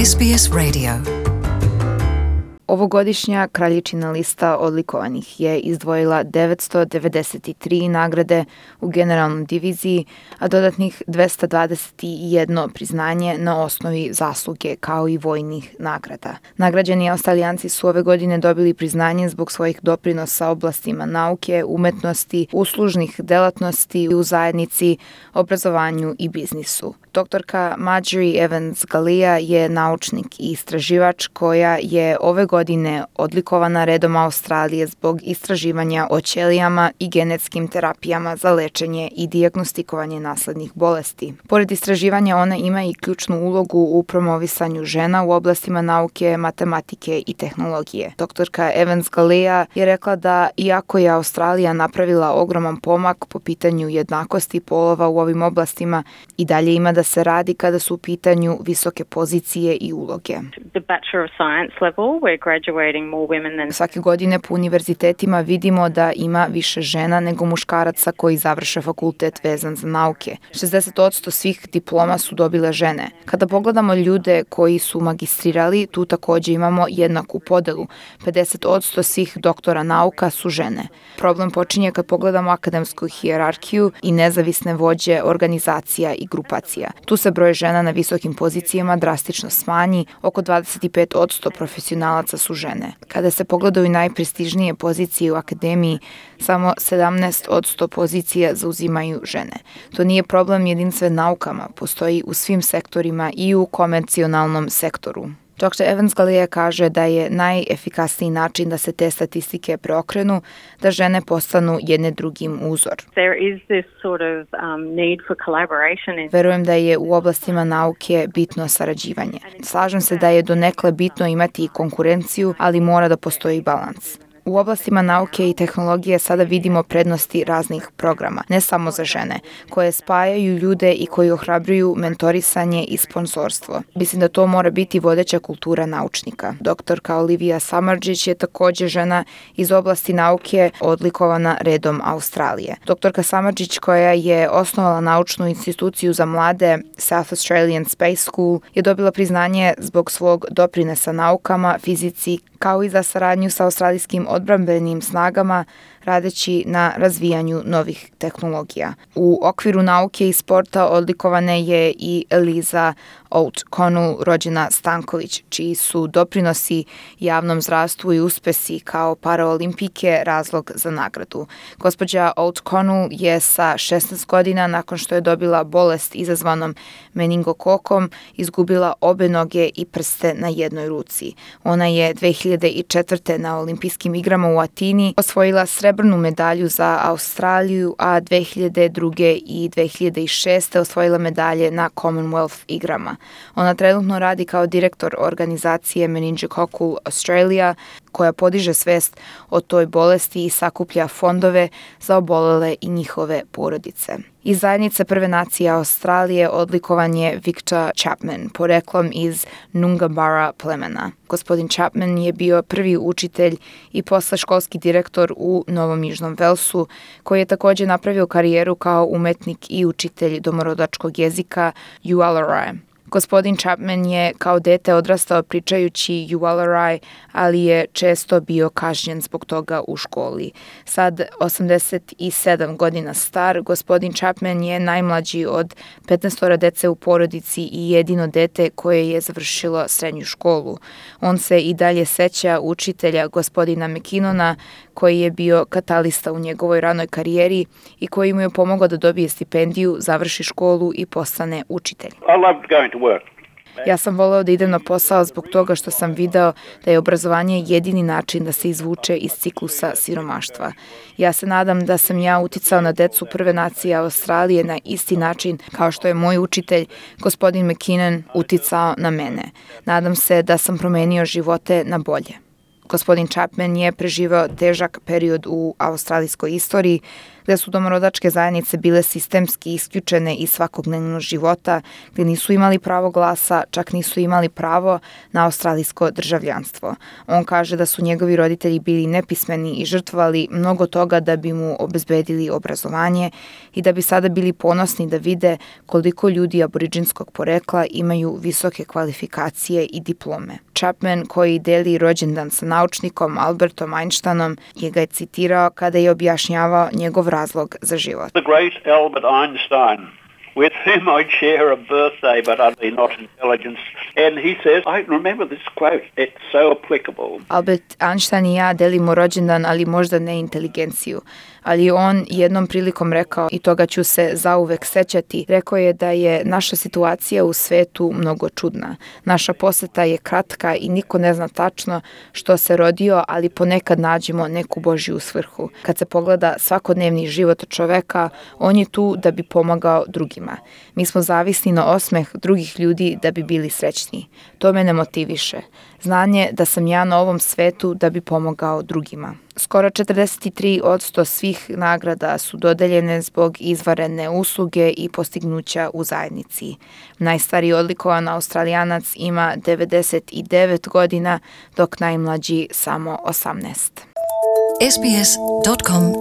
SBS Radio. Ovogodišnja kraljičina lista odlikovanih je izdvojila 993 nagrade u generalnoj diviziji, a dodatnih 221 priznanje na osnovi zasluge kao i vojnih nagrada. Nagrađeni Australijanci su ove godine dobili priznanje zbog svojih doprinosa oblastima nauke, umetnosti, uslužnih delatnosti u zajednici, obrazovanju i biznisu. Doktorka Marjorie Evans-Galea je naučnik i istraživač koja je ove godine odlikovana redom Australije zbog istraživanja o ćelijama i genetskim terapijama za lečenje i dijagnostikovanje naslednih bolesti. Pored istraživanja, ona ima i ključnu ulogu u promovisanju žena u oblastima nauke, matematike i tehnologije. Doktorka Evans-Galea je rekla da iako je Australija napravila ogroman pomak po pitanju jednakosti polova u ovim oblastima, i dalje ima da se radi kada su u pitanju visoke pozicije i uloge. Svake godine po univerzitetima vidimo da ima više žena nego muškaraca koji završe fakultet vezan za nauke. 60% svih diploma su dobile žene. Kada pogledamo ljude koji su magistrirali, tu takođe imamo jednaku podelu. 50% svih doktora nauka su žene. Problem počinje kad pogledamo akademsku hijerarhiju i nezavisne vođe organizacija i grupacija. Tu se broj žena na visokim pozicijama drastično smanji, oko 25% profesionalaca su žene. Kada se pogledaju najprestižnije pozicije u akademiji, samo 17% pozicija zauzimaju žene. To nije problem jedinstven naukama, postoji u svim sektorima i u komercionalnom sektoru. Dr. Evans-Galea kaže da je najefikasniji način da se te statistike preokrenu, da žene postanu jedne drugim uzor. Verujem da je u oblastima nauke bitno sarađivanje. Slažem se da je donekle bitno imati i konkurenciju, ali mora da postoji balans. U oblastima nauke i tehnologije sada vidimo prednosti raznih programa, ne samo za žene, koje spajaju ljude i koji ohrabruju mentorisanje i sponsorstvo. Mislim da to mora biti vodeća kultura naučnika. Doktorka Olivia Samardžić je takođe žena iz oblasti nauke odlikovana redom Australije. Doktorka Samardžić, koja je osnovala naučnu instituciju za mlade South Australian Space School, je dobila priznanje zbog svog doprinesa naukama, fizici, kao i za saradnju sa australijskim odbrambenim snagama radeći na razvijanju novih tehnologija. U okviru nauke i sporta odlikovane je i Eliza O'Connell, rođena Stanković, čiji su doprinosi javnom zdravstvu i uspesi kao paraolimpijke razlog za nagradu. Gospođa O'Connell je sa 16 godina, nakon što je dobila bolest izazvanom meningokokom, izgubila obe noge i prste na jednoj ruci. Ona je 2004. na olimpijskim igrama u Atini osvojila srebrnu medalju za Australiju, a 2002. i 2006. osvojila medalje na Commonwealth igrama. Ona trenutno radi kao direktor organizacije Meningococcal Australia, koja podiže svest o toj bolesti i sakuplja fondove za obolele i njihove porodice. Iz zajednice Prve nacije Australije odlikovan je Victor Chapman, poreklom iz Noongarmbura plemena. Gospodin Chapman je bio prvi učitelj i posle školski direktor u Novom Južnom Velsu, koji je takođe napravio karijeru kao umetnik i učitelj domorodačkog jezika Yuwalari. Gospodin Chapman je kao dete odrastao pričajući Yuwalari, ali je često bio kažnjen zbog toga u školi. Sad, 87 godina star, gospodin Chapman je najmlađi od 15 dece u porodici i jedino dete koje je završilo srednju školu. On se i dalje seća učitelja gospodina McKinnona, koji je bio katalista u njegovoj ranoj karijeri i koji mu je pomogao da dobije stipendiju, završi školu i postane učitelj. Ja sam voleo da idem na posao zbog toga što sam video da je obrazovanje jedini način da se izvuče iz ciklusa siromaštva. Ja se nadam da sam ja uticao na decu Prve nacije Australije na isti način kao što je moj učitelj, gospodin McKinnon, uticao na mene. Nadam se da sam promenio živote na bolje. Gospodin Chapman je preživeo težak period u australijskoj istoriji gde su domorodačke zajednice bile sistemski isključene iz svakodnevnog života, gde nisu imali pravo glasa, čak nisu imali pravo na australijsko državljanstvo. On kaže da su njegovi roditelji bili nepismeni i žrtvovali mnogo toga da bi mu obezbedili obrazovanje i da bi sada bili ponosni da vide koliko ljudi aboriđinskog porekla imaju visoke kvalifikacije i diplome. Chapman, koji deli rođendan sa naučnikom Albertom Einsteinom, je ga citirao kada je objašnjavao njegov razlog za život. The great Albert Einstein, with whom I share a birthday but utterly not intelligence. And he says, I remember this quote, it's so applicable. Albert Einstein i ja delimo rođendan, ali možda ne inteligenciju. Ali on jednom prilikom rekao, i toga ću se zauvek sećati, rekao je da je naša situacija u svetu mnogo čudna. Naša poseta je kratka i niko ne zna tačno što se rodio, ali ponekad nađemo neku Božju svrhu. Kad se pogleda svakodnevni život čoveka, on je tu da bi pomagao drugima. Mi smo zavisni na osmeh drugih ljudi da bi bili srećni. To mene motiviše. Znanje da sam ja na ovom svetu da bi pomogao drugima. Skoro 43% svih nagrada su dodeljene zbog izvanredne usluge i postignuća u zajednici. Najstariji odlikovan Australijanac ima 99 godina, dok najmlađi samo 18. sbs.com.au